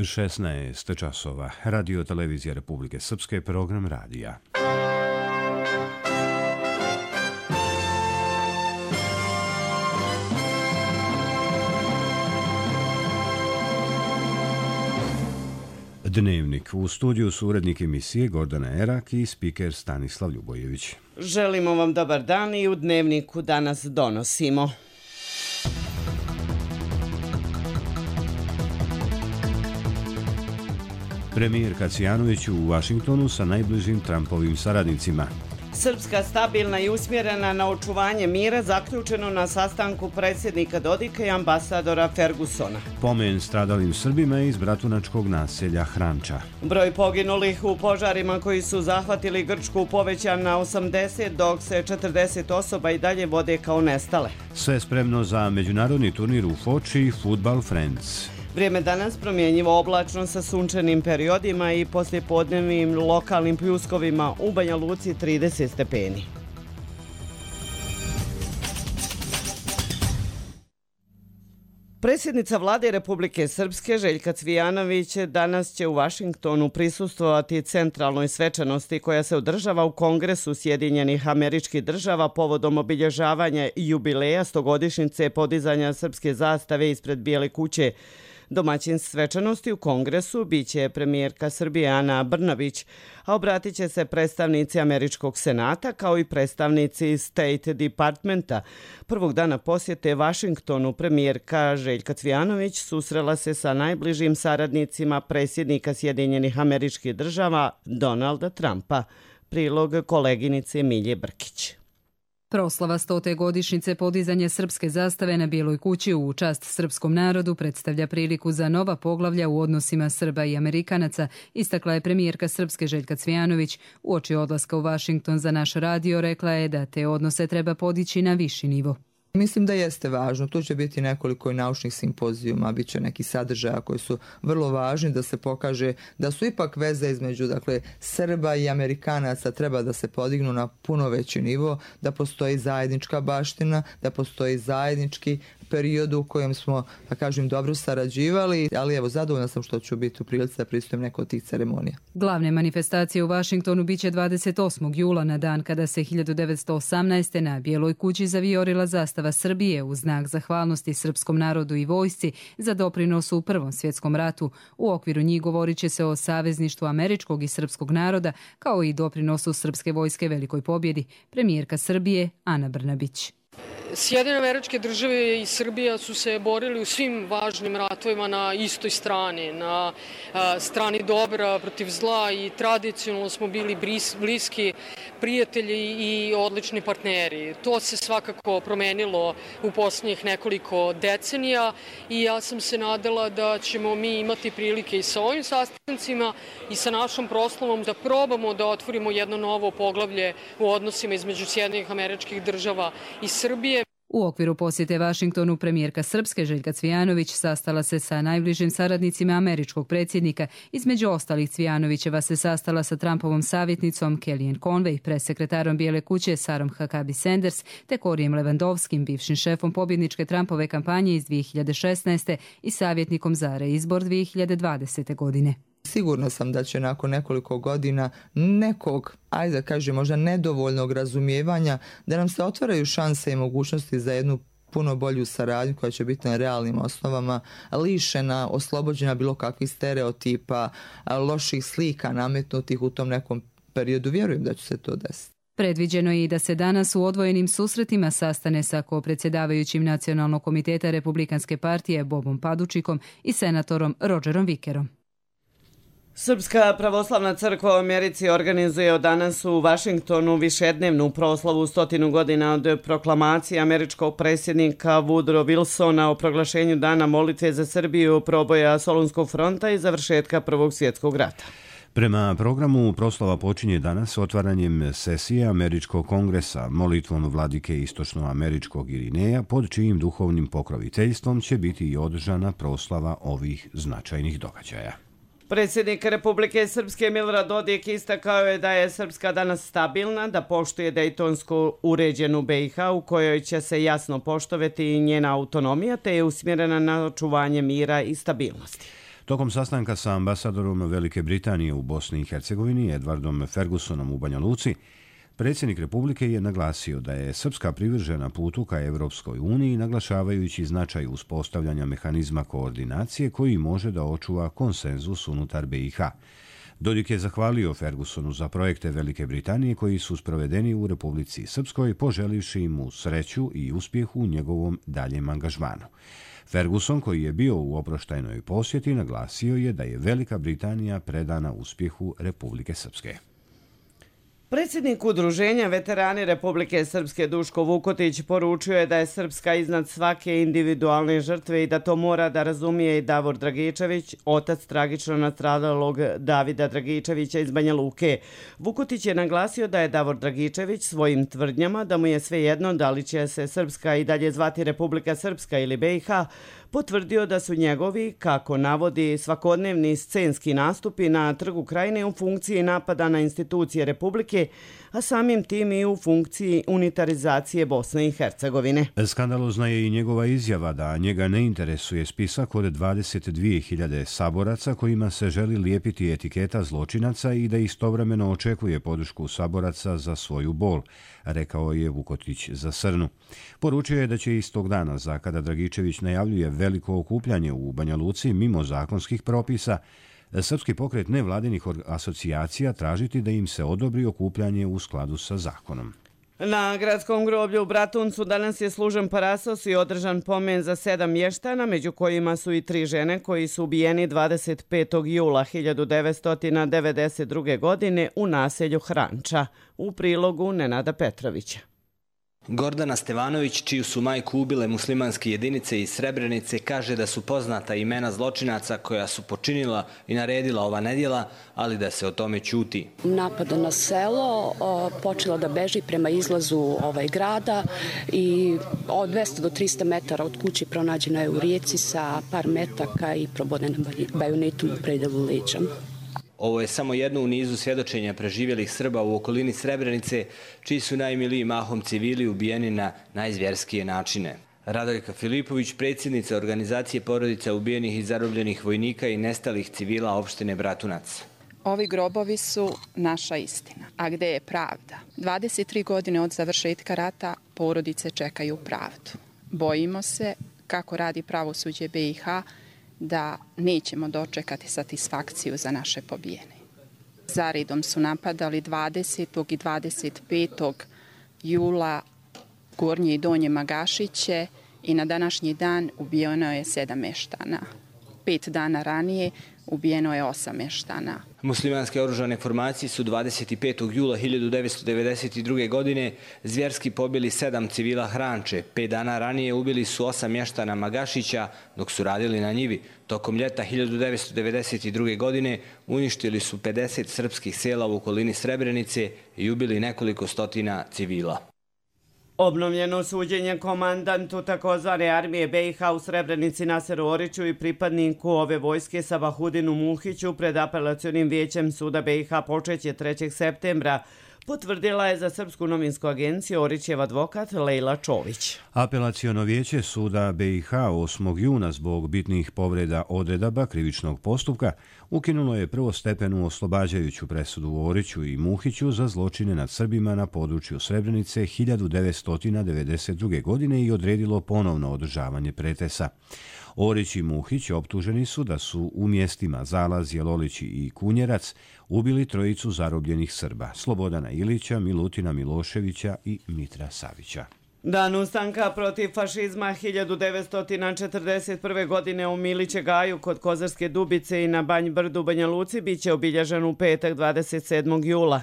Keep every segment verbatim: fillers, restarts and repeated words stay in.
šesnaest časova. Radio televizija Republike Srpske, program radija. Dnevnik. U studiju su urednik emisije Gordana Erak i spiker Stanislav Ljubojević. Želimo vam dobar dan i u Dnevniku danas donosimo. Premijerka Cvijanović u Vašingtonu sa najbližim Trumpovim saradnicima. Srpska stabilna i usmjerena na očuvanje mira zaključeno na sastanku predsjednika Dodika i ambasadora Fergusona. Pomen stradalim Srbima iz bratunačkog naselja Hranča. Broj poginulih u požarima koji su zahvatili Grčku povećan na osamdeset, dok se četrdeset osoba i dalje vode kao nestale. Sve spremno za međunarodni turnir u Foči Football Friends. Vrijeme danas promjenjivo oblačno sa sunčanim periodima i poslijepodnevnim lokalnim pljuskovima, u Banja Luci trideset stepeni. Predsjednica vlade Republike Srpske Željka Cvijanović danas će u Vašingtonu prisustvovati centralnoj svečanosti koja se održava u Kongresu Sjedinjenih Američkih Država povodom obilježavanja jubileja stogodišnjice podizanja srpske zastave ispred Bijele kuće. Domaćin svečanosti u Kongresu biće premijerka Srbije Ana Brnabić, a obratit će se predstavnici Američkog senata kao i predstavnici State Departmenta. Prvog dana posjete Vašingtonu premijerka Željka Cvijanović susrela se sa najbližim saradnicima predsjednika Sjedinjenih Američkih Država Donalda Trumpa. Prilog koleginice Milje Brkić. Proslava stote godišnjice podizanja srpske zastave na Bijeloj kući u čast srpskom narodu predstavlja priliku za nova poglavlja u odnosima Srba i Amerikanaca, istakla je premijerka Srpske Željka Cvijanović. Uoči odlaska u Vašington za naš radio rekla je da te odnose treba podići na viši nivo. Mislim da jeste važno. Tu će biti nekoliko naučnih simpozijuma, bit će neki sadržaja koji su vrlo važni da se pokaže da su ipak veze između dakle, Srba i Amerikanaca treba da se podignu na puno veći nivo, da postoji zajednička baština, da postoji zajednički period u kojem smo, da kažem, dobro sarađivali, ali evo, zadovoljna sam što ću biti u prilici da pristujem neko od tih ceremonija. Glavne manifestacije u Vašingtonu biće dvadeset osmog jula na dan kada se hiljadu devetsto osamnaeste. na Bijeloj kući zavijorila zastava Srbije u znak zahvalnosti srpskom narodu i vojsci za doprinos u Prvom svjetskom ratu. U okviru njih govorit će se o savezništvu američkog i srpskog naroda kao i doprinosu srpske vojske velikoj pobjedi. Premijerka Srbije Ana Brnabić. Sjedinjene Američke Države i Srbija su se borili u svim važnim ratovima na istoj strani, na a, strani dobra protiv zla i tradicionalno smo bili bris, bliski prijatelji i odlični partneri. To se svakako promenilo u posljednjih nekoliko decenija i ja sam se nadala da ćemo mi imati prilike i sa ovim sastancima i sa našom proslavom da probamo da otvorimo jedno novo poglavlje u odnosima između Sjedinjenih Američkih Država i Srbije. U okviru posjete Vašingtonu premijerka Srpske Željka Cvijanović sastala se sa najbližim saradnicima američkog predsjednika. Između ostalih Cvijanovićeva se sastala sa Trumpovom savjetnicom Kellyanne Conway, presekretarom Bijele kuće Sarom Huckabee Sanders te Korijem Levandovskim, bivšim šefom pobjedničke Trumpove kampanje iz dvije hiljade šesnaeste. i savjetnikom za reizbor dvije hiljade dvadesete. godine. Sigurno sam da će nakon nekoliko godina nekog, ajde da kažem, možda nedovoljnog razumijevanja, da nam se otvaraju šanse i mogućnosti za jednu puno bolju saradnju koja će biti na realnim osnovama, lišena, oslobođena bilo kakvih stereotipa, loših slika nametnutih u tom nekom periodu. Vjerujem da će se to desiti. Predviđeno je i da se danas u odvojenim susretima sastane sa kopredsjedavajućim Nacionalnog komiteta Republikanske partije Bobom Padučikom i senatorom Rodgerom Vickerom. Srpska pravoslavna crkva u Americi organizuje od danas u Vašingtonu višednevnu proslavu stotinu godina od proklamacije američkog predsjednika Woodrow Wilsona o proglašenju dana molitve za Srbiju, proboja Solunskog fronta i završetka Prvog svjetskog rata. Prema programu proslava počinje danas otvaranjem sesije Američkog kongresa, molitvom vladike istočnoameričkog Irineja, pod čijim duhovnim pokroviteljstvom će biti i održana proslava ovih značajnih događaja. Predsjednik Republike Srpske Milorad Dodik istakao je da je Srpska danas stabilna, da poštuje dejtonsku uređenu B i H u kojoj će se jasno poštovati njena autonomija te je usmjerena na očuvanje mira i stabilnosti. Tokom sastanka sa ambasadorom Velike Britanije u Bosni i Hercegovini, Edwardom Fergusonom u Banja Luci, predsjednik Republike je naglasio da je Srpska privržena putu ka Evropskoj uniji, naglašavajući značaj uspostavljanja mehanizma koordinacije koji može da očuva konsenzus unutar B i H. Dodik je zahvalio Fergusonu za projekte Velike Britanije koji su sprovedeni u Republici Srpskoj, poželivši mu sreću i uspjeh u njegovom daljem angažmanu. Ferguson, koji je bio u oproštajnoj posjeti, naglasio je da je Velika Britanija predana uspjehu Republike Srpske. Predsjednik Udruženja Veterani Republike Srpske Duško Vukotić poručio je da je Srpska iznad svake individualne žrtve i da to mora da razumije i Davor Dragičević, otac tragično nastradalog Davida Dragičevića iz Banja Luke. Vukotić je naglasio da je Davor Dragičević svojim tvrdnjama da mu je svejedno da li će se Srpska i dalje zvati Republika Srpska ili B i H, potvrdio da su njegovi, kako navodi, svakodnevni scenski nastupi na Trgu Krajine u funkciji napada na institucije Republike, a samim tim i u funkciji unitarizacije Bosne i Hercegovine. Skandalozna je i njegova izjava da njega ne interesuje spisak od dvadeset dvije hiljade saboraca kojima se želi lijepiti etiketa zločinaca i da istovremeno očekuje podršku saboraca za svoju bol, rekao je Vukotić za Srnu. Poručio je da će istog dana, za kada Dragičević najavljuje veliko okupljanje u Banja Luci mimo zakonskih propisa, Srpski pokret nevladinih asocijacija tražiti da im se odobri okupljanje u skladu sa zakonom. Na gradskom groblju u Bratuncu danas je služen parasos i održan pomen za sedam mještana, među kojima su i tri žene koji su ubijeni dvadeset petog jula hiljadu devetsto devedeset druge. godine u naselju Hranča, u prilogu Nenada Petrovića. Gordana Stevanović, čiju su majku ubile muslimanske jedinice iz Srebrenice, kaže da su poznata imena zločinaca koja su počinila i naredila ova nedjela, ali da se o tome ćuti. Napada na selo, počela da beži prema izlazu ovaj grada i od dvesta do trista metara od kući pronađena je u rijeci sa par metaka i probodena bajonetom u predelu leđa. Ovo je samo jedno u nizu svjedočenja preživjelih Srba u okolini Srebrenice, čiji su najmiliji mahom civili ubijeni na najzvjerskije načine. Radojka Filipović, predsjednica organizacije porodica ubijenih i zarobljenih vojnika i nestalih civila opštine Bratunac. Ovi grobovi su naša istina. A gde je pravda? dvadeset tri godine od završetka rata porodice čekaju pravdu. Bojimo se, kako radi pravosuđe B i H, da nećemo dočekati satisfakciju za naše pobijene. Zaredom su napadali dvadesetog i dvadeset petog jula Gornje i Donje Magašiće i na današnji dan ubijeno je sedam meštana. Pet dana ranije ubijeno je osam meštana. Muslimanske oružane formacije su dvadeset petog jula hiljadu devetsto devedeset druge. godine zvjerski pobili sedam civila Hranče. Pet dana ranije ubili su osam mještana Magašića dok su radili na njivi. Tokom ljeta hiljadu devetsto devedeset druge. godine uništili su pedeset srpskih sela u okolini Srebrenice i ubili nekoliko stotina civila. Obnovljeno suđenje komandantu takozvane armije B i H u Srebrenici Naseru Oriću i pripadniku ove vojske Sabahudinu Muhiću pred apelacionim vijećem suda B i H počeće trećeg septembra, potvrdila je za Srpsku novinsku agenciju Orićev advokat Lejla Čović. Apelaciono vijeće suda B i H osmog juna zbog bitnih povreda odredaba krivičnog postupka ukinulo je prvostepenu oslobađajuću presudu Oriću i Muhiću za zločine nad Srbima na području Srebrenice hiljadu devetsto devedeset druge. godine i odredilo ponovno održavanje pretresa. Orić i Muhić optuženi su da su u mjestima Zalaz, Jelolići i Kunjerac ubili trojicu zarobljenih Srba, Slobodana Ilića, Milutina Miloševića i Mitra Savića. Dan ustanka protiv fašizma hiljadu devetsto četrdeset prve. godine u Miliće Gaju kod Kozarske Dubice i na Banj Brdu Banja Luci biće obilježen u petak dvadeset sedmog jula.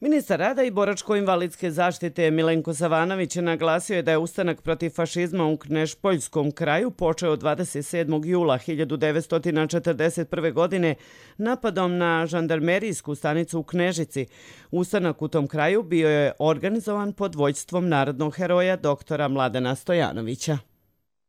Ministar rada i boračko-invalidske zaštite Milenko Savanović naglasio je da je ustanak protiv fašizma u Knežpoljskom kraju počeo dvadeset sedmog jula hiljadu devetsto četrdeset prve. godine napadom na žandarmerijsku stanicu u Knežici. Ustanak u tom kraju bio je organizovan pod vođstvom narodnog heroja doktora Mladena Stojanovića.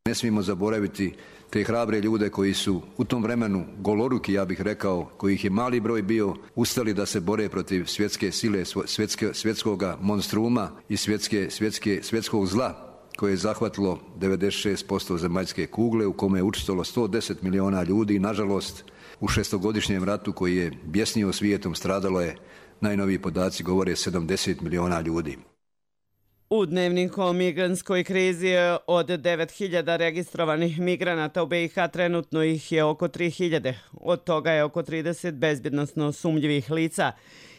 Ne smijemo zaboraviti te hrabre ljude koji su u tom vremenu goloruki, ja bih rekao, kojih je mali broj bio, ustali da se bore protiv svjetske sile, svjetske, svjetskog monstruma i svjetske, svjetske, svjetskog zla koje je zahvatilo devedeset šest posto zemaljske kugle, u kome je učestvovalo sto deset miliona ljudi. Nažalost, u šestogodišnjem ratu koji je bjesnio svijetom stradalo je, najnoviji podaci govore, sedamdeset miliona ljudi. U dnevniku o migrantskoj krizi od devet hiljada registrovanih migranata u B i H trenutno ih je oko tri hiljade. Od toga je oko trideset bezbjednosno sumnjivih lica.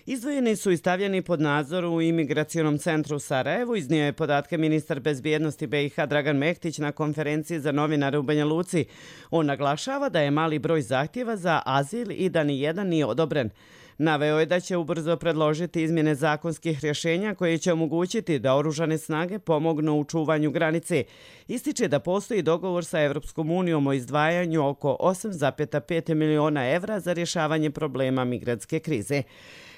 Izdvojeni su i stavljeni pod nadzor u imigracionom centru u Sarajevu, iznio je podatke ministar bezbjednosti B i H Dragan Mektić na konferenciji za novinare u Banja Luci. On naglašava da je mali broj zahtjeva za azil i da ni jedan nije odobren. Naveo je da će ubrzo predložiti izmjene zakonskih rješenja koje će omogućiti da oružane snage pomognu u čuvanju granice. Ističe da postoji dogovor sa Evropskom unijom o izdvajanju oko osam zarez pet miliona evra za rješavanje problema migrantske krize.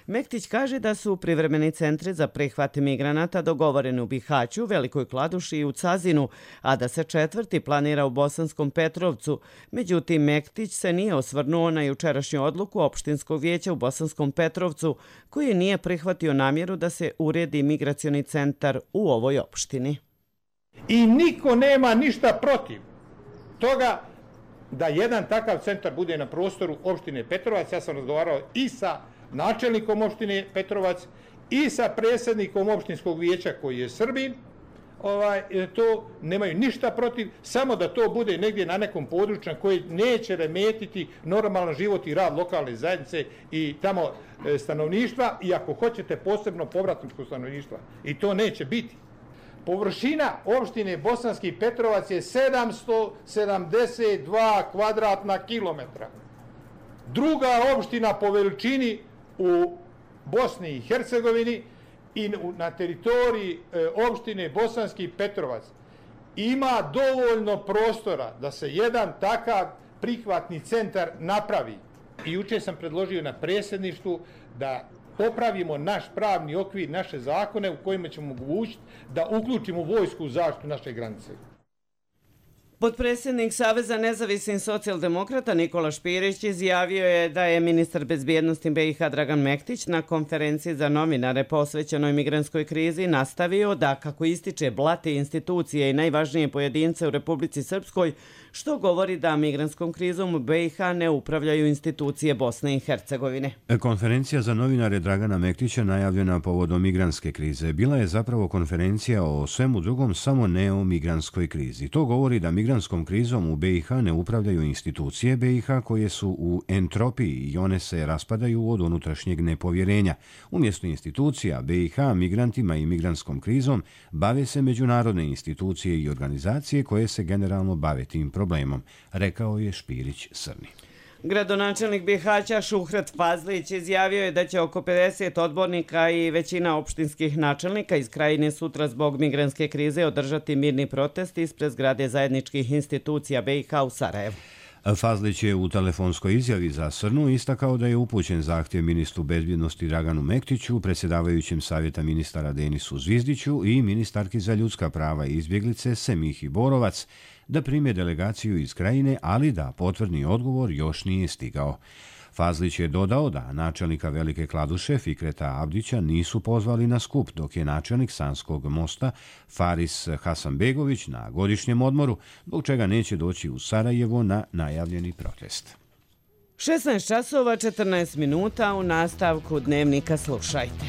Mektić kaže da su privremeni centri za prihvat migranata dogovoreni u Bihaću, Velikoj Kladuši i u Cazinu, a da se četvrti planira u Bosanskom Petrovcu. Međutim, Mektić se nije osvrnuo na jučerašnju odluku opštinskog vijeća u Bosanskom Petrovcu, koji nije prihvatio namjeru da se uredi migracioni centar u ovoj opštini. I niko nema ništa protiv toga da jedan takav centar bude na prostoru opštine Petrovac. Ja sam razgovarao i sa načelnikom opštine Petrovac i sa predsjednikom opštinskog vijeća koji je Srbin. Ovaj, to nemaju ništa protiv, samo da to bude negdje na nekom području koji neće remetiti normalan život i rad lokalne zajednice i tamo e, stanovništva, i ako hoćete posebno povratničko stanovništva. I to neće biti. Površina opštine Bosanski Petrovac je sedamsto sedamdeset dva kvadratna kilometra. Druga opština po veličini u Bosni i Hercegovini i na teritoriji opštine Bosanski Petrovac ima dovoljno prostora da se jedan takav prihvatni centar napravi. I jučer sam predložio na predsjedništvu da popravimo naš pravni okvir, naše zakone u kojima ćemo omogućiti da uključimo vojsku u zaštitu naše granice. Potpredsjednik Saveza nezavisnih socijaldemokrata Nikola Špirić izjavio je da je ministar bezbjednosti B i H Dragan Mektić na konferenciji za novinare posvećenoj migrantskoj krizi nastavio da, kako ističe, blati institucije i najvažnije pojedince u Republici Srpskoj, što govori da migrantskom krizom u B i H ne upravljaju institucije Bosne i Hercegovine. Konferencija za novinare Dragana Mektića najavljena povodom migrantske krize bila je zapravo konferencija o svemu drugom, samo ne o migrantskoj krizi. To govori da migrantskom krizom u B i H ne upravljaju institucije B i H koje su u entropiji i one se raspadaju od unutrašnjeg nepovjerenja. Umjesto institucija B i H migrantima i migrantskom krizom bave se međunarodne institucije i organizacije koje se generalno bave tim problemom, rekao je Špirić Srni. Gradonačelnik Bihaća Šuhret Fazlić izjavio je da će oko pedeset odbornika i većina opštinskih načelnika iz Krajine sutra zbog migrantske krize održati mirni protest ispred zgrade zajedničkih institucija B i H u Sarajevu. Fazlić je u telefonskoj izjavi za Srnu istakao da je upućen zahtjev ministru bezbjednosti Draganu Mektiću, predsjedavajućem savjeta ministara Denisu Zvizdiću i ministarki za ljudska prava i izbjeglice Semihi Borovac da prime delegaciju iz Krajine, ali da potvrdni odgovor još nije stigao. Fazlić je dodao da načelnika Velike Kladuše Fikreta Abdića nisu pozvali na skup, dok je načelnik Sanskog mosta Faris Hasanbegović na godišnjem odmoru, zbog čega neće doći u Sarajevo na najavljeni protest. šesnaest časova četrnaest minuta, u nastavku dnevnika slušajte.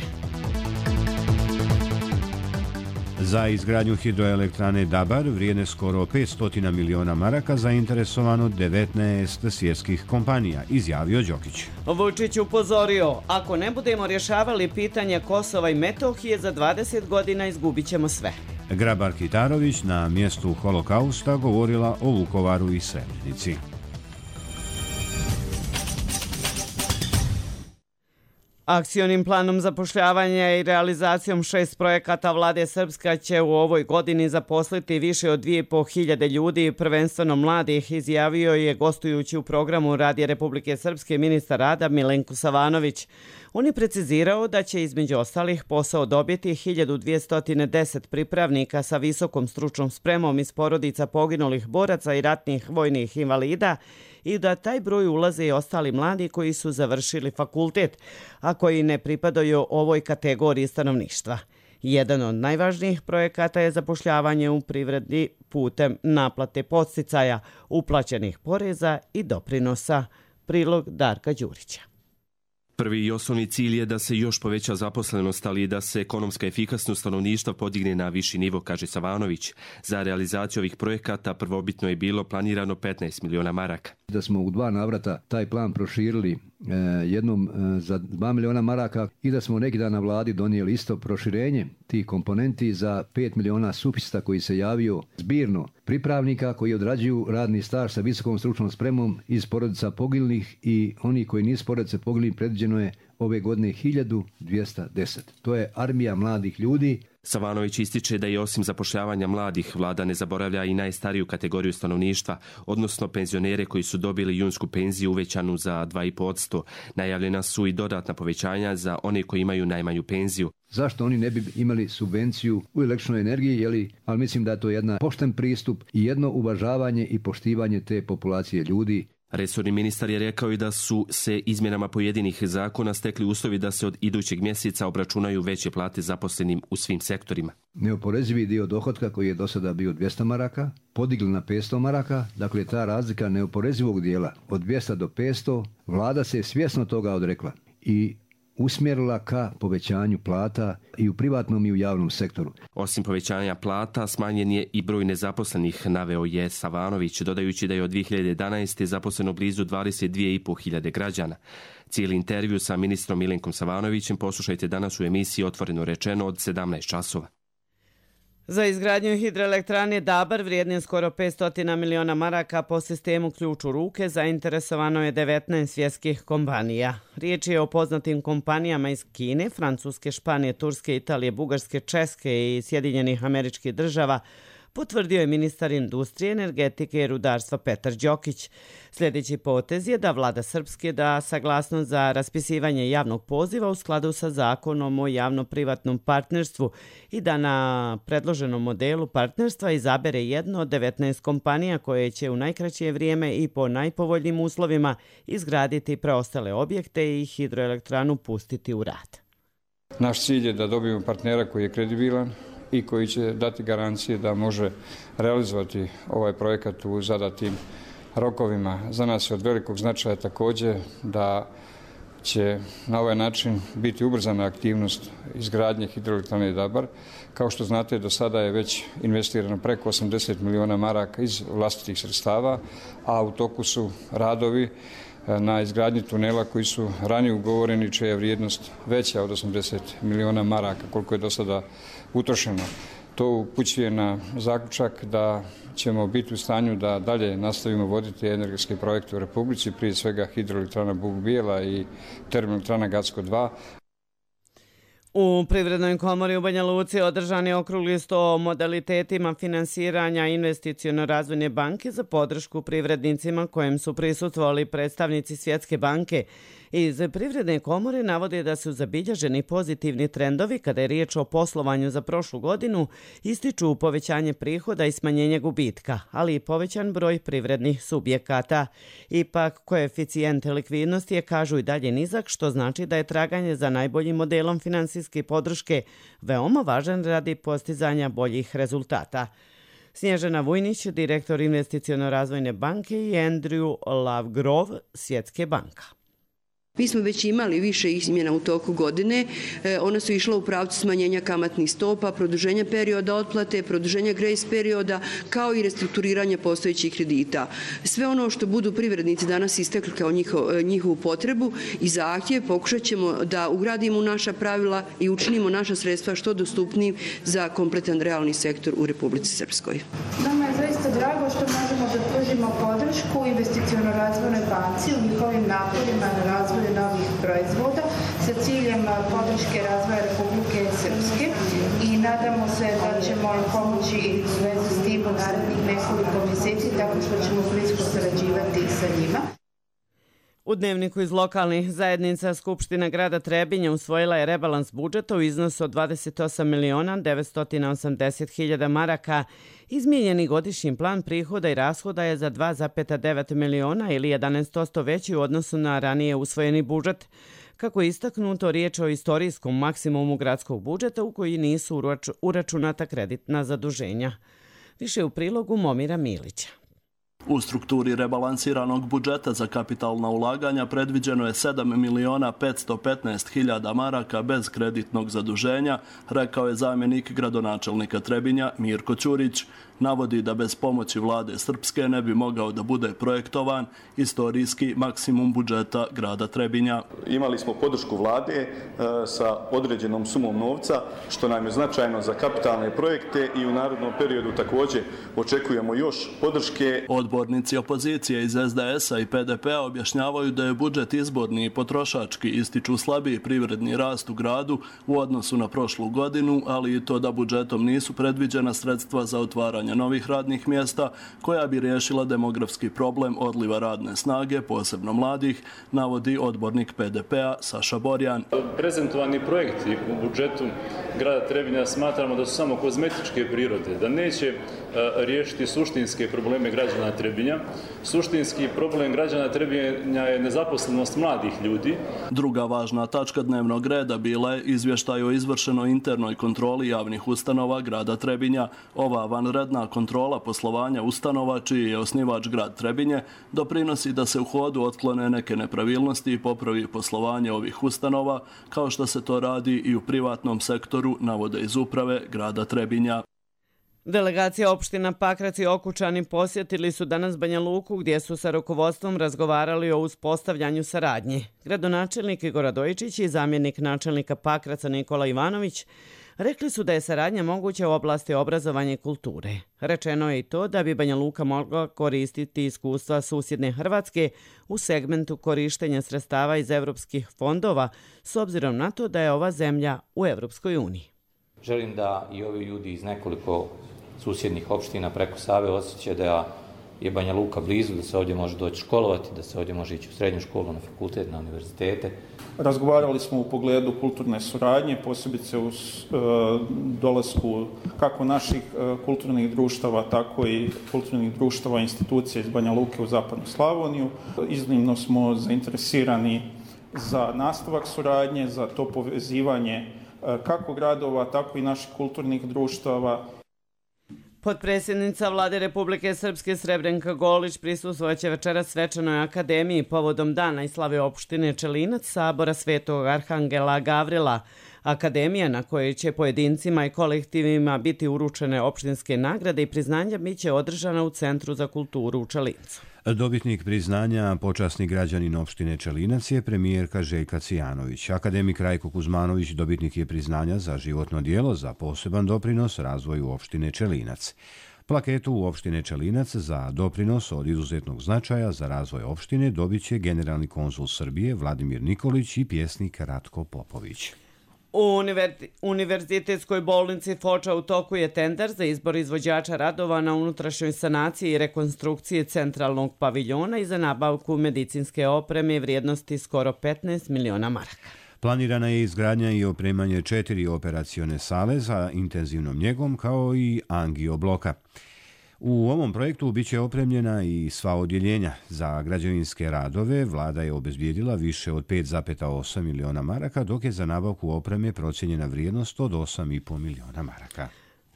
Za izgradnju hidroelektrane Dabar vrijedne skoro petsto miliona maraka zainteresovano devetnaest svjetskih kompanija, izjavio Đokić. Vučić upozorio, ako ne budemo rješavali pitanje Kosova i Metohije, za dvadeset godina izgubit ćemo sve. Grabar Kitarović na mjestu holokausta govorila o Vukovaru i Srebrenici. Akcionim planom zapošljavanja i realizacijom šest projekata vlade Srpska će u ovoj godini zaposliti više od dvije i po hiljade ljudi, prvenstveno mladih, izjavio je gostujući u programu Radija Republike Srpske ministar rada Milenko Savanović. On je precizirao da će između ostalih posao dobiti hiljadu dvjesto deset pripravnika sa visokom stručnom spremom iz porodica poginulih boraca i ratnih vojnih invalida i da taj broj ulaze i ostali mladi koji su završili fakultet, a koji ne pripadaju ovoj kategoriji stanovništva. Jedan od najvažnijih projekata je zapošljavanje u privredi putem naplate podsticaja, uplaćenih poreza i doprinosa. Prilog Darka Đurića. Prvi i osnovni cilj je da se još poveća zaposlenost, ali i da se ekonomska efikasnost stanovništva podigne na viši nivo, kaže Savanović. Za realizaciju ovih projekata prvobitno je bilo planirano petnaest miliona maraka. Da smo u dva navrata taj plan proširili e, jednom e, za dva miliona maraka i da smo neki dan na vladi donijeli isto proširenje tih komponenti za pet miliona sufista koji se javio zbirno pripravnika koji odrađuju radni staž sa visokom stručnom spremom iz porodica poginulih i oni koji nisu porodice poginulih predviđeno je ove godine hiljadu dvjesto deset. To je armija mladih ljudi. Savanović ističe da je osim zapošljavanja mladih, vlada ne zaboravlja i najstariju kategoriju stanovništva, odnosno penzionere koji su dobili junsku penziju uvećanu za dva i po posto. Najavljena su i dodatna povećanja za one koji imaju najmanju penziju. Zašto oni ne bi imali subvenciju u električnoj energiji, jeli? Ali mislim da je to jedan pošten pristup i jedno uvažavanje i poštivanje te populacije ljudi. Resorni ministar je rekao i da su se izmjenama pojedinih zakona stekli uslovi da se od idućeg mjeseca obračunaju veće plate zaposlenim u svim sektorima. Neoporezivi dio dohotka koji je do sada bio dvjesto maraka, podigli na petsto maraka, dakle ta razlika neoporezivog dijela od dvjesto do petsto, vlada se je svjesno toga odrekla i usmjerila ka povećanju plata i u privatnom i u javnom sektoru. Osim povećanja plata, smanjen je i broj nezaposlenih, naveo je Savanović, dodajući da je od dvije hiljade jedanaeste. zaposleno blizu dvadeset dvije i po hiljade građana. Cijeli intervju sa ministrom Milenkom Savanovićem poslušajte danas u emisiji Otvoreno rečeno od sedamnaest časova. Za izgradnju hidroelektrane Dabar vrijedne skoro petsto miliona maraka po sistemu ključ u ruke zainteresovano je devetnaest svjetskih kompanija. Riječ je o poznatim kompanijama iz Kine, Francuske, Španije, Turske, Italije, Bugarske, Česke i Sjedinjenih Američkih Država, potvrdio je ministar industrije, energetike i rudarstva Petar Đokić. Sljedeći potez je da vlada Srpske da saglasnost za raspisivanje javnog poziva u skladu sa zakonom o javno-privatnom partnerstvu i da na predloženom modelu partnerstva izabere jedno od devetnaest kompanija koje će u najkraće vrijeme i po najpovoljnijim uslovima izgraditi preostale objekte i hidroelektranu pustiti u rad. Naš cilj je da dobijemo partnera koji je kredibilan i koji će dati garancije da može realizovati ovaj projekat u zadatim rokovima. Za nas je od velikog značaja također da će na ovaj način biti ubrzana aktivnost izgradnje hidroelektrane Dabar. Kao što znate, do sada je već investirano preko osamdeset miliona maraka iz vlastitih sredstava, a u toku su radovi na izgradnji tunela koji su ranije ugovoreni, čija je vrijednost veća od osamdeset miliona maraka, koliko je do sada utrošeno. To upućuje na zaključak da ćemo biti u stanju da dalje nastavimo voditi energetske projekte u Republici, prije svega hidroelektrana Buk Bijela i termoelektrana Gacko dva. U Privrednoj komori u Banja Luci održan je okrugli sto o modalitetima finansiranja Investiciono-razvojne banke za podršku privrednicima kojem su prisustvovali predstavnici Svjetske banke. Iz Privredne komore navode da su zabilježeni pozitivni trendovi kada je riječ o poslovanju za prošlu godinu, ističu povećanje prihoda i smanjenje gubitka, ali i povećan broj privrednih subjekata. Ipak, koeficijent likvidnosti je, kažu, i dalje nizak, što znači da je traganje za najboljim modelom finansijske podrške veoma važan radi postizanja boljih rezultata. Snježana Vujnić, direktor Investiciono-razvojne banke, i Andrew Lovegrove, Svjetske banka. Mi smo već imali više izmjena u toku godine. Ona su išla u pravcu smanjenja kamatnih stopa, produženja perioda otplate, produženja grace perioda, kao i restrukturiranja postojećih kredita. Sve ono što budu privrednici danas istekli kao njihov, njihovu potrebu i zahtjev, pokušat ćemo da ugradimo u naša pravila i učinimo naša sredstva što dostupnijim za kompletan realni sektor u Republici Srpskoj. Nama je zaista drago što možemo da pružimo podršku Investiciono-razvojnoj banci u njihovim naporima na razvoju novih proizvoda sa ciljem podrške razvoja Republike Srpske i nadamo se da ćemo pomoći u vezi s tim u narednih nekoliko mjeseci tako što ćemo blisko sarađivati sa njima. U dnevniku iz lokalnih zajednica Skupština grada Trebinja usvojila je rebalans budžeta u iznosu od dvadeset osam miliona devetsto osamdeset hiljada maraka. Izmijenjeni godišnji plan prihoda i rashoda je za dva zarez devet miliona ili jedanaest posto veći u odnosu na ranije usvojeni budžet. Kako je istaknuto, riječ o istorijskom maksimumu gradskog budžeta u koji nisu uračunata kreditna zaduženja. Više u prilogu Momira Milića. U strukturi rebalansiranog budžeta za kapitalna ulaganja predviđeno je sedam miliona petsto petnaest hiljada maraka bez kreditnog zaduženja, rekao je zamjenik gradonačelnika Trebinja Mirko Ćurić. Navodi da bez pomoći vlade Srpske ne bi mogao da bude projektovan istorijski maksimum budžeta grada Trebinja. Imali smo podršku vlade e, sa određenom sumom novca, što nam je značajno za kapitalne projekte i u narednom periodu također očekujemo još podrške. Odbornici opozicije iz es de es a i pe de pe a objašnjavaju da je budžet izborni i potrošački, ističu slabiji privredni rast u gradu u odnosu na prošlu godinu, ali i to da budžetom nisu predviđena sredstva za otvaranje novih radnih mjesta koja bi riješila demografski problem odliva radne snage, posebno mladih, navodi odbornik pe de pe a Saša Borjan. Prezentovani projekti u budžetu grada Trebinja smatramo da su samo kozmetičke prirode, da neće riješiti suštinske probleme građana Trebinja. Suštinski problem građana Trebinja je nezaposlenost mladih ljudi. Druga važna tačka dnevnog reda bila je izvještaj o izvršenoj internoj kontroli javnih ustanova grada Trebinja. Ova vanredna kontrola poslovanja ustanova, čiji je osnivač grad Trebinje, doprinosi da se u hodu otklone neke nepravilnosti i popravi poslovanje ovih ustanova, kao što se to radi i u privatnom sektoru, navode iz uprave grada Trebinja. Delegacija opština Pakrac i Okučani posjetili su danas Banja Luku, gdje su sa rukovodstvom razgovarali o uspostavljanju saradnje. Gradonačelnik Igor Radojičić i zamjenik načelnika Pakraca Nikola Ivanović rekli su da je saradnja moguća u oblasti obrazovanja i kulture. Rečeno je i to da bi Banja Luka mogla koristiti iskustva susjedne Hrvatske u segmentu korištenja sredstava iz evropskih fondova, s obzirom na to da je ova zemlja u Evropskoj uniji. Želim da i ovi ljudi iz nekoliko susjednih opština preko Save osjećaju da je Banja Luka blizu, da se ovdje može doći školovati, da se ovdje može ići u srednju školu, na fakultet, na univerzitete. Razgovarali smo u pogledu kulturne suradnje, posebice u e, dolasku kako naših e, kulturnih društava, tako i kulturnih društava i institucija iz Banja Luke u Zapadnu Slavoniju. Iznimno smo zainteresirani za nastavak suradnje, za to povezivanje e, kako gradova, tako i naših kulturnih društava. Potpredsjednica Vlade Republike Srpske Srebrenka Golić prisustvovaće večeras svečanoj akademiji povodom dana i slave opštine Čelinac Sabora Svetog Arhangela Gavrila. Akademija na kojoj će pojedincima i kolektivima biti uručene opštinske nagrade i priznanja biće održana u Centru za kulturu u Čelincu. Dobitnik priznanja, počasni građanin opštine Čelinac je premijerka Željka Cvijanović. Akademik Rajko Kuzmanović dobitnik je priznanja za životno djelo za poseban doprinos razvoju opštine Čelinac. Plaketu u opštine Čelinac za doprinos od izuzetnog značaja za razvoj opštine dobit će generalni konzul Srbije Vladimir Nikolić i pjesnik Ratko Popović. U Univerzitetskoj bolnici Foča u toku je tender za izbor izvođača radova na unutrašnjoj sanaciji i rekonstrukciji centralnog paviljona i za nabavku medicinske opreme vrijednosti skoro petnaest miliona maraka. Planirana je izgradnja i opremanje četiri operacione sale za intenzivnom njegom kao i angio bloka. U ovom projektu biće opremljena i sva odjeljenja. Za građevinske radove vlada je obezbijedila više od pet zarez osam miliona maraka, dok je za nabavku opreme procijenjena vrijednost od osam zarez pet miliona maraka.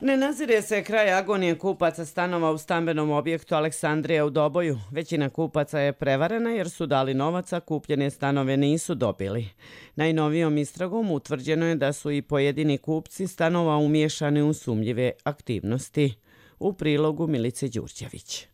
Ne nazire se kraj agonije kupaca stanova u stambenom objektu Aleksandrija u Doboju. Većina kupaca je prevarena jer su dali novac, a kupljene stanove nisu dobili. Najnovijom istragom utvrđeno je da su i pojedini kupci stanova umiješani u sumnjive aktivnosti. U prilogu Milice Đurđević.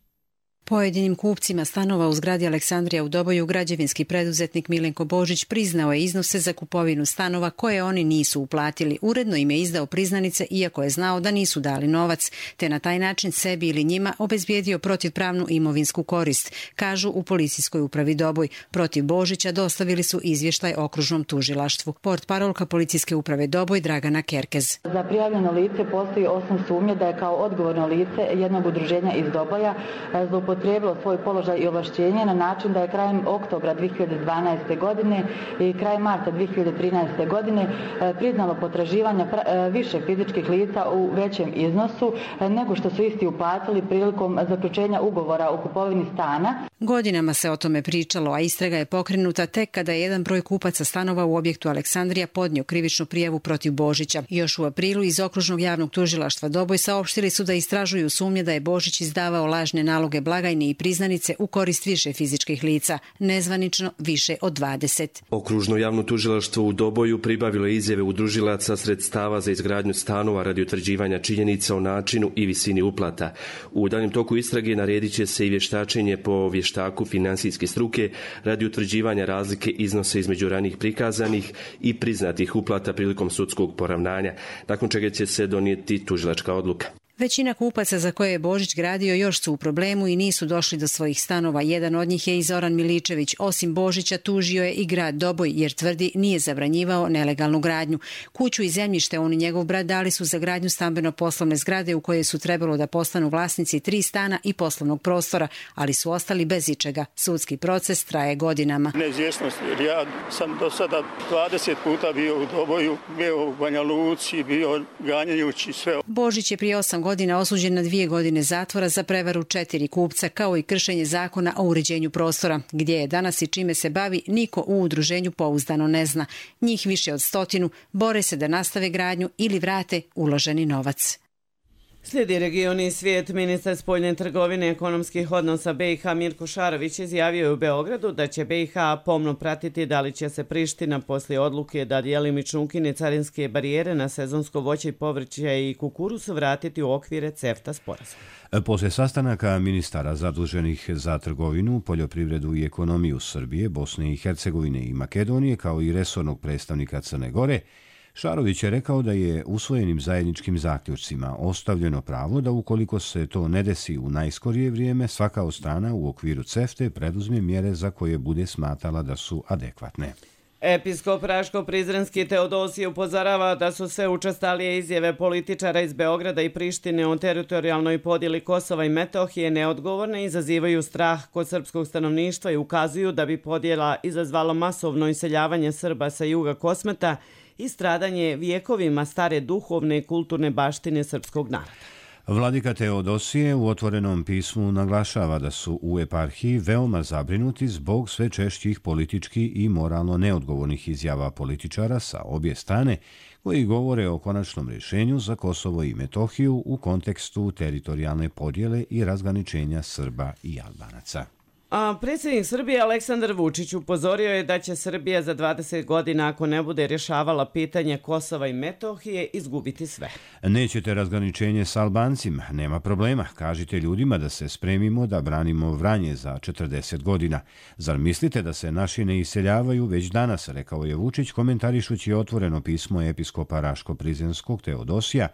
Pojedinim kupcima stanova u zgradi Aleksandrija u Doboju građevinski preduzetnik Milenko Božić priznao je iznose za kupovinu stanova koje oni nisu uplatili. Uredno im je izdao priznanice iako je znao da nisu dali novac, te na taj način sebi ili njima obezbijedio protivpravnu imovinsku korist, kažu u policijskoj upravi Doboj. Protiv Božića dostavili su izvještaj okružnom tužilaštvu. Portparolka policijske uprave Doboj Dragana Kerkez. Za prijavljeno lice postoji osam sumnje da je kao odgovorno lice jednog udruženja iz Doboja zloupotrijebilo svoj položaj i ovlašćenje na način da je krajem oktobra dvije hiljade dvanaeste. godine i krajem marta dvije hiljade trinaeste. godine priznalo potraživanja više fizičkih lica u većem iznosu nego što su isti uplatili prilikom zaključenja ugovora o kupovini stana. Godinama se o tome pričalo, a istraga je pokrenuta tek kada je jedan broj kupaca stanova u objektu Aleksandrija podnio krivičnu prijavu protiv Božića. Još u aprilu iz Okružnog javnog tužilaštva Doboj saopštili su da istražuju sumnje da je Božić izdavao lažne naloge blagajne i priznanice u korist više fizičkih lica, nezvanično više od dvadeset. Okružno javno tužilaštvo u Doboju pribavilo izjave udružilaca sredstava za izgradnju stanova radi utvrđivanja činjenica o načinu i visini uplata. U daljem toku istrage naredit će se i vještačenje po vještaku finansijske struke radi utvrđivanja razlike iznose između ranijih prikazanih i priznatih uplata prilikom sudskog poravnanja, nakon čega će se donijeti tužilačka odluka. Većina kupaca za koje je Božić gradio još su u problemu i nisu došli do svojih stanova. Jedan od njih je i Zoran Miličević. Osim Božića tužio je i grad Doboj jer tvrdi nije zabranjivao nelegalnu gradnju. Kuću i zemljište on i njegov brat dali su za gradnju stambeno-poslovne zgrade u kojoj su trebalo da postanu vlasnici tri stana i poslovnog prostora, ali su ostali bez ičega. Sudski proces traje godinama. Neizvjesnost, jer ja sam do sada dvadeset puta bio u Doboju, bio u Banja Luci, bio ganjajući sve. Božić je prije osam godina osuđen na dvije godine zatvora za prevaru četiri kupca, kao i kršenje zakona o uređenju prostora. Gdje je danas i čime se bavi, niko u udruženju pouzdano ne zna. Njih više od stotinu bore se da nastave gradnju ili vrate uloženi novac. Slijedi regioni i svijet. Ministar spoljne trgovine i ekonomskih odnosa B i H Mirko Šarović izjavio je u Beogradu da će B i H pomno pratiti da li će se Priština poslije odluke da djelimično ukine carinske barijere na sezonsko voće i povrće i kukuruz vratiti u okvire CEFTA sporazuma. Poslije sastanaka ministara zaduženih za trgovinu, poljoprivredu i ekonomiju Srbije, Bosne i Hercegovine i Makedonije, kao i resornog predstavnika Crne Gore, Šarović je rekao da je usvojenim zajedničkim zaključcima ostavljeno pravo da ukoliko se to ne desi u najskorije vrijeme, svaka od strana u okviru CEFTA preduzme mjere za koje bude smatrala da su adekvatne. Episkop Raško-Prizrenski Teodosije upozorava da su sve učestalije izjave političara iz Beograda i Prištine o teritorijalnoj podjeli Kosova i Metohije neodgovorne, izazivaju strah kod srpskog stanovništva i ukazuju da bi podjela izazvala masovno iseljavanje Srba sa juga Kosmeta i stradanje vijekovima stare duhovne i kulturne baštine srpskog naroda. Vladika Teodosije u otvorenom pismu naglašava da su u eparhiji veoma zabrinuti zbog sve češćih politički i moralno neodgovornih izjava političara sa obje strane koji govore o konačnom rješenju za Kosovo i Metohiju u kontekstu teritorijalne podjele i razgraničenja Srba i Albanaca. A predsjednik Srbije Aleksandar Vučić upozorio je da će Srbija za dvadeset godina, ako ne bude rješavala pitanje Kosova i Metohije, izgubiti sve. Nećete razgraničenje s Albancima, nema problema. Kažite ljudima da se spremimo da branimo Vranje za četrdeset godina. Zar mislite da se naši ne iseljavaju već danas, rekao je Vučić komentarišući otvoreno pismo episkopa Raško-Prizrenskog Teodosija,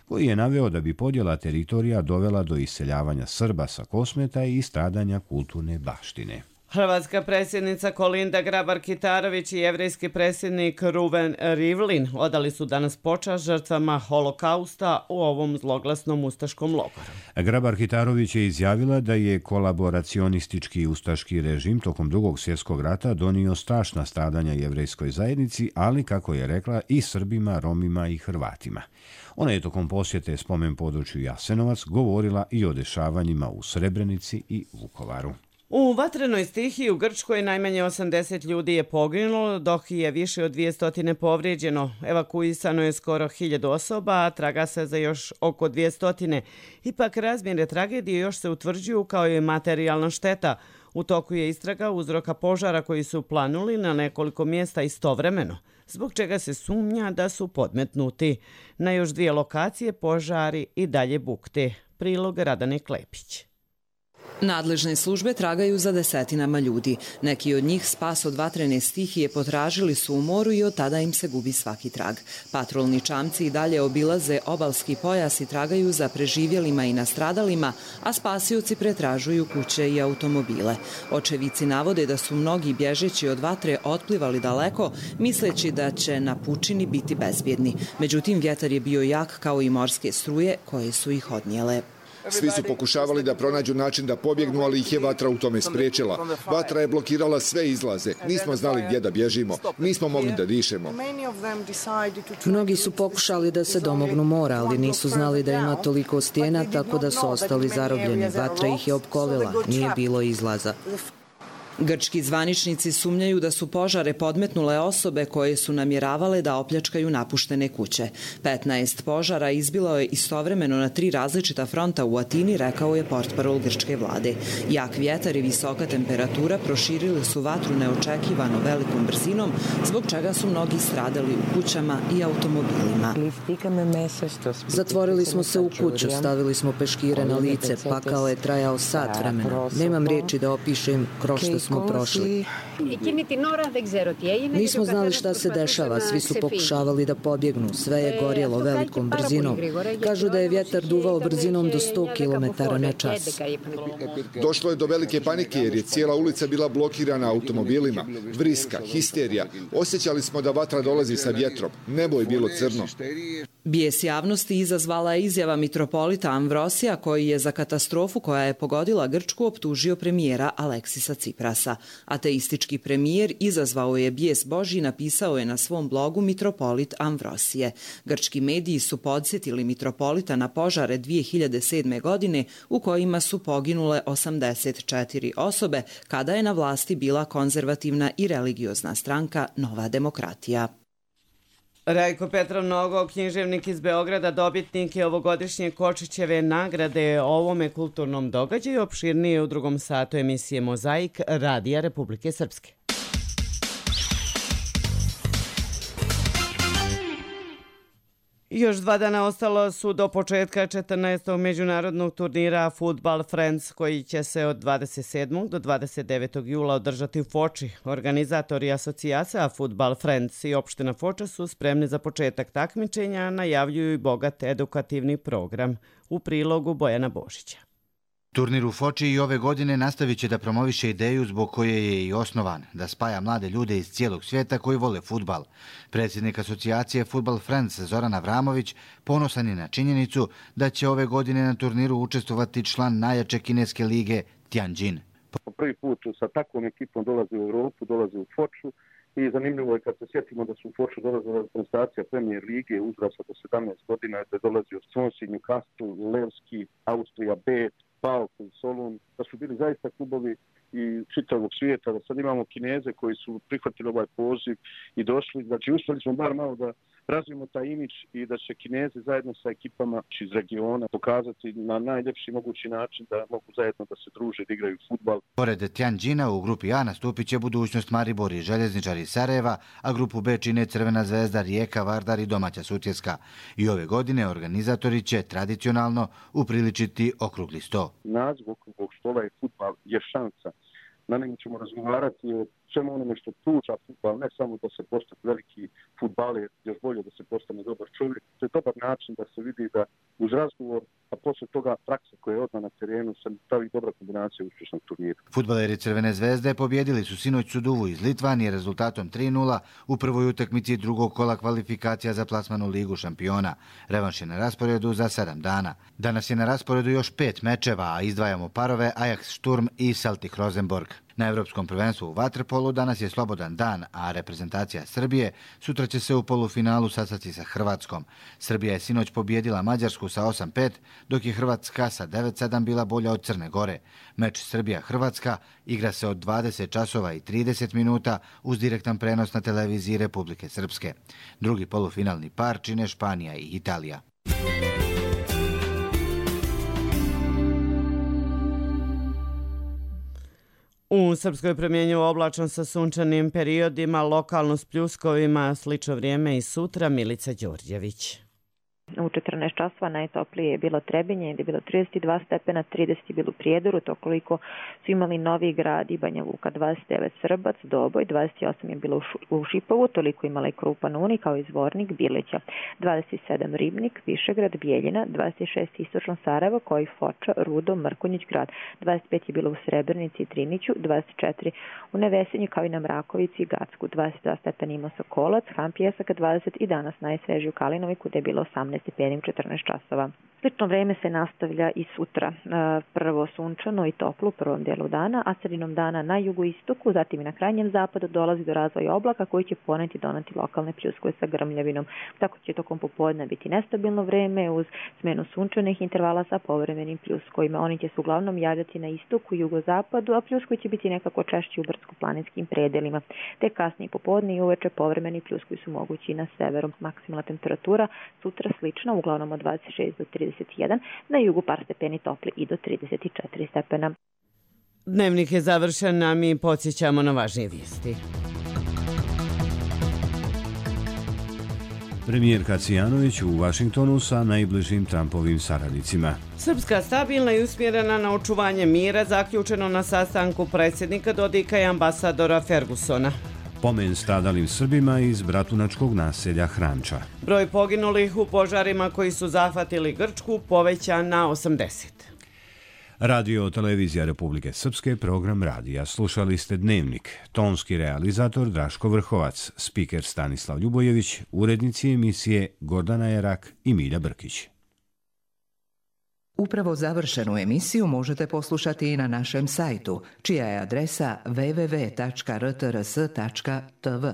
koji je naveo da bi podjela teritorija dovela do iseljavanja Srba sa Kosmeta i stradanja kulturne baštine. Hrvatska predsjednica Kolinda Grabar-Kitarović i jevrejski predsjednik Ruven Rivlin odali su danas počast žrtvama holokausta u ovom zloglasnom ustaškom logoru. Grabar-Kitarović je izjavila da je kolaboracionistički ustaški režim tokom drugog svjetskog rata donio strašna stradanja jevrejskoj zajednici, ali, kako je rekla, i Srbima, Romima i Hrvatima. Ona je tokom posjete spomen području Jasenovac govorila i o dešavanjima u Srebrenici i Vukovaru. U vatrenoj stihiji u Grčkoj najmanje osamdeset ljudi je poginulo, dok je više od dvjesto povrijeđeno. Evakuisano je skoro hiljadu osoba, a traga se za još oko dvjesto. Ipak razmjere tragedije još se utvrđuju kao i materijalna šteta. U toku je istraga uzroka požara koji su planuli na nekoliko mjesta istovremeno, zbog čega se sumnja da su podmetnuti. Na još dvije lokacije požari i dalje bukte. Prilog Radane Klepić. Nadležne službe tragaju za desetinama ljudi. Neki od njih spas od vatrene stihije potražili su u moru i od tada im se gubi svaki trag. Patrolni čamci i dalje obilaze obalski pojas i tragaju za preživjelima i nastradalima, a spasioci pretražuju kuće i automobile. Očevici navode da su mnogi bježeći od vatre otplivali daleko, misleći da će na pučini biti bezbjedni. Međutim, vjetar je bio jak kao i morske struje koje su ih odnijele. Svi su pokušavali da pronađu način da pobjegnu, ali ih je vatra u tome spriječila. Vatra je blokirala sve izlaze. Nismo znali gdje da bježimo. Nismo mogli da dišemo. Mnogi su pokušali da se domognu mora, ali nisu znali da ima toliko stijena, tako da su ostali zarobljeni. Vatra ih je opkolila. Nije bilo izlaza. Grčki zvaničnici sumnjaju da su požare podmetnule osobe koje su namjeravale da opljačkaju napuštene kuće. petnaest požara izbilo je istovremeno na tri različita fronta u Atini, rekao je portparol grčke vlade. Jak vjetar i visoka temperatura proširili su vatru neočekivano velikom brzinom, zbog čega su mnogi stradali u kućama i automobilima. Zatvorili smo se u kuću, stavili smo peškire na lice, pakao je trajao sat vremena. Nemam riječi da opišem kroz što smo prošli. Nismo znali šta se dešava, svi su pokušavali da pobjegnu, sve je gorjelo velikom brzinom. Kažu da je vjetar duvao brzinom do sto kilometara na čas. Došlo je do velike panike jer je cijela ulica bila blokirana automobilima. Vriska, histerija. Osjećali smo da vatra dolazi sa vjetrom. Nebo je bilo crno. Bijes javnosti izazvala je izjava mitropolita Amvrosija, koji je za katastrofu koja je pogodila Grčku optužio premijera Aleksisa Ciprasa. Ateistički premijer izazvao je bijes Božji, napisao je na svom blogu mitropolit Amvrosije. Grčki mediji su podsjetili mitropolita na požare dvije hiljade sedme. godine u kojima su poginule osamdeset četiri osobe, kada je na vlasti bila konzervativna i religiozna stranka Nova demokratija. Rajko Petrov Nogo, književnik iz Beograda, dobitnik je ovogodišnje Kočićeve nagrade o ovome kulturnom događaju, opširnije u drugom satu emisije Mozaik Radija Republike Srpske. Još dva dana ostalo su do početka četrnaestog međunarodnog turnira Football Friends, koji će se od dvadeset sedmog do dvadeset devetog jula održati u Foči. Organizatori asocijacija Football Friends i opština Foča su spremni za početak takmičenja, najavljuju i bogat edukativni program. U prilogu Bojana Božića. Turnir u Foči i ove godine nastavit će da promoviše ideju zbog koje je i osnovan, da spaja mlade ljude iz cijelog svijeta koji vole fudbal. Predsjednik asocijacije Football Friends Zoran Avramović ponosan je na činjenicu da će ove godine na turniru učestvovati član najjače kineske lige Tianjin. Po prvi put sa takvom ekipom dolazi u Europu, dolazi u Foču i zanimljivo je kad se sjetimo da su u Foču dolazila reprezentacija Premier lige uzrasta do sedamnaest godina, da je dolazio Swansea, Newcastle, Levski, Austrija B, Pauk, Solun, da su bili zaista klubovi i čitavog svijeta, da sad imamo Kineze koji su prihvatili ovaj poziv i došli. Znači, uspjeli smo bar malo da razvijemo taj imidž i da će Kinezi zajedno sa ekipama iz regiona pokazati na najljepši mogući način da mogu zajedno da se druže i da igraju fudbal. Pored Tianjina u grupi A nastupit će budućnost Maribor i Željezničar iz Sarajeva, a grupu B čine Crvena zvezda, Rijeka, Vardar i domaća Sutjeska. I ove godine organizatori će tradicionalno upriličiti okrugli sto. Naziv okruglog stola je fudbal je šansa. Na njemu ćemo razgovarati o svemu onome što pruža fudbal, ne samo da se postane veliki fudbaler, još bolje da se postane dobar čovjek. To je dobar način da se vidi da uz razgovor, a posle toga praksa koja je odmah na terenu, se pravi dobra kombinacija uspješnog turnira. Fudbaleri Crvene zvezde pobjedili su sinoć Suduvu iz Litvanije rezultatom tri nula u prvoj utakmici drugog kola kvalifikacija za plasman u Ligu šampiona. Revanš je na rasporedu za sedam dana. Danas je na rasporedu još pet mečeva, a izdvajamo parove Ajax Sturm i Celtic Rosenborg. Na Evropskom prvenstvu u vaterpolu danas je slobodan dan, a reprezentacija Srbije sutra će se u polufinalu sastati sa Hrvatskom. Srbija je sinoć pobjedila Mađarsku sa osam pet, dok je Hrvatska sa devet sedam bila bolja od Crne Gore. Meč Srbija-Hrvatska igra se od dvadeset časova i trideset minuta uz direktan prenos na televiziji Republike Srpske. Drugi polufinalni par čine Španija i Italija. U Srpskoj promjenjivo oblačno sa sunčanim periodima, lokalno s pljuskovima, slično vrijeme i sutra. Milica Đorđević. U četrnaest časova najtoplije je bilo Trebinje, gdje je bilo trideset dva stepena, trideset je bilo u Prijedoru, to koliko su imali Novi Grad i Banja Luka, dvadeset devet Srbac, Doboj, dvadeset osam je bilo u Šipovu, toliko imala i Krupan Uni kao i Zvornik, Bileća, dvadeset sedam Ribnik, Višegrad, Bijeljina, dvadeset šest Istočno Sarajevo, kao i Foča, Rudo, Mrkonjić grad, dvadeset pet je bilo u Srebrnici i Triniću, dvadeset četiri u Nevesinju kao i na Mrakovici i Gacku, dvadeset dva stepena ima Sokolac, Ham Pjesak dvadeset i danas najsvežiji u Kalinoviku, gdje je bilo osamnaest stepeni u četrnaest časova. Slično vreme se nastavlja i sutra. Prvo sunčano i toplo u prvom dijelu dana, a sredinom dana na jugoistoku, zatim i na krajnjem zapadu dolazi do razvoja oblaka koji će poneti doneti lokalne pljuskove sa grmljavinom. Tako će tokom popodne biti nestabilno vreme uz smenu sunčanih intervala sa povremenim pljuskovima. Oni će se uglavnom javljati na istoku i jugozapadu, a pljuskovi će biti nekako češći u brdsko-planinskim predelima. Te kasnije popodne i uveče povremeni pljuskovi su mogući i na severu. Maksimalna temperatura sutra slična, uglavnom od dvadeset šest do trideset jedan, na jugu par stepeni topli i do trideset četiri stepena. Dnevnik je završen, a mi podsjećamo na važnije vijesti. Premijerka Cvijanović u Vašingtonu sa najbližim Trumpovim saradnicima. Srpska stabilna i usmjerena na očuvanje mira, zaključeno na sastanku predsjednika Dodika i ambasadora Fergusona. Pomen stradalim Srbima iz bratunačkog naselja Hranča. Broj poginulih u požarima koji su zahvatili Grčku povećan na osamdeset. Radio Televizija Republike Srpske, program radija. Slušali ste Dnevnik. Tonski realizator Draško Vrhovac, spiker Stanislav Ljubojević, urednici emisije Gordana Jerak i Milja Brkić. Upravo završenu emisiju možete poslušati i na našem sajtu, čija je adresa w w w tačka r t r s tačka t v.